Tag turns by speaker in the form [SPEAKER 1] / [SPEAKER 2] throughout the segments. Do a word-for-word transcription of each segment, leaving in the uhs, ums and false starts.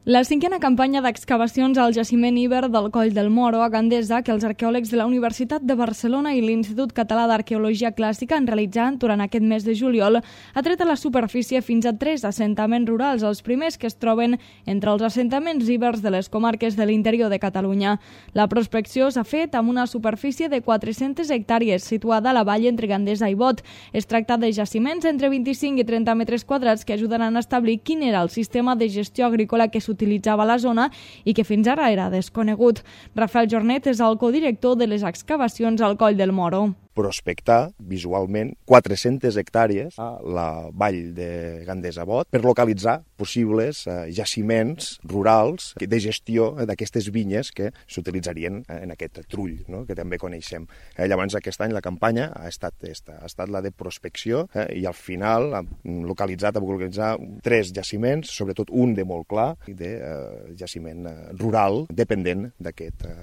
[SPEAKER 1] La cinquena campanya d'excavacions al jaciment Iber del Coll del Moro a Gandesa, que els arqueòlegs de la Universitat de Barcelona i l'Institut Català d'Arqueologia Clàssica han realitzat durant aquest mes de juliol, ha tret a la superfície fins a tres assentaments rurals, els primers que es troben entre els assentaments ibers de les comarques de l'interior de Catalunya. La prospecció s'ha fet amb una superfície de quatre-centes hectàrees, situada a la vall entre Gandesa i Bot. Es tracta de jaciments entre vint-i-cinc i trenta metres quadrats que ajudaran a establir quin era el sistema de gestió agrícola que s'utilitzava a la zona i que fins ara era desconegut. Rafael Jornet és el codirector de les excavacions al Coll del Moro.
[SPEAKER 2] Prospectar visualment quatre-centes hectàrees a la vall de Gandesa-Bot per localitzar possibles eh, jaciments rurals de gestió d'aquestes vinyes que s'utilitzarien en aquest trull, no?, que també coneixem. Eh, llavors aquest any la campanya ha estat, esta, ha estat la de prospecció eh, i al final ha localitzat, ha localitzar tres jaciments, sobretot un de molt clar, de eh, jaciment eh, rural dependent d'aquest eh,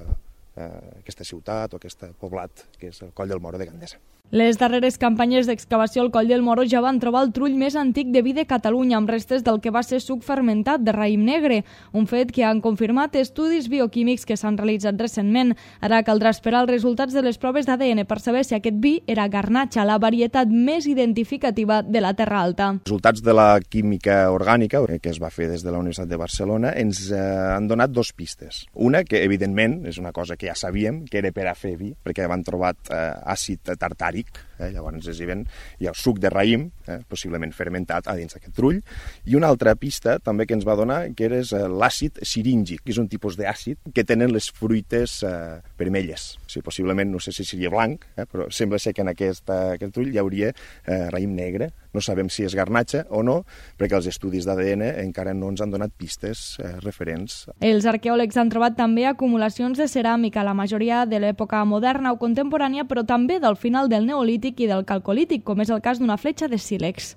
[SPEAKER 2] aquesta ciutat o aquest poblat que és el Coll del Moro de Gandesa.
[SPEAKER 1] Les darreres campanyes d'excavació al Coll del Moro ja van trobar el trull més antic de vi de Catalunya, amb restes del que va ser suc fermentat de raïm negre, un fet que han confirmat estudis bioquímics que s'han realitzat recentment. Ara caldrà esperar els resultats de les proves d'A D N per saber si aquest vi era garnatxa, la varietat més identificativa de la Terra Alta.
[SPEAKER 2] Els resultats de la química orgànica que es va fer des de la Universitat de Barcelona ens eh, han donat dos pistes. Una, que evidentment és una cosa que ja sabíem, que era per a fer vi, perquè van trobat eh, àcid tartàric. Eh, llavors hi ha el suc de raïm, eh, possiblement fermentat a dins d'aquest trull, i una altra pista també que ens va donar que era eh, l'àcid siríngic, que és un tipus d'àcid que tenen les fruites eh, vermelles. O sigui, possiblement, no sé si seria blanc, eh, però sembla ser que en aquest, eh, aquest trull hi hauria eh, raïm negre. No sabem si és garnatxa o no, perquè els estudis d'A D N encara no ens han donat pistes eh, referents.
[SPEAKER 1] Els arqueòlegs han trobat també acumulacions de ceràmica, la majoria de l'època moderna o contemporània, però també del final del Neolític i del Calcolític, com és el cas d'una fletxa de sílex.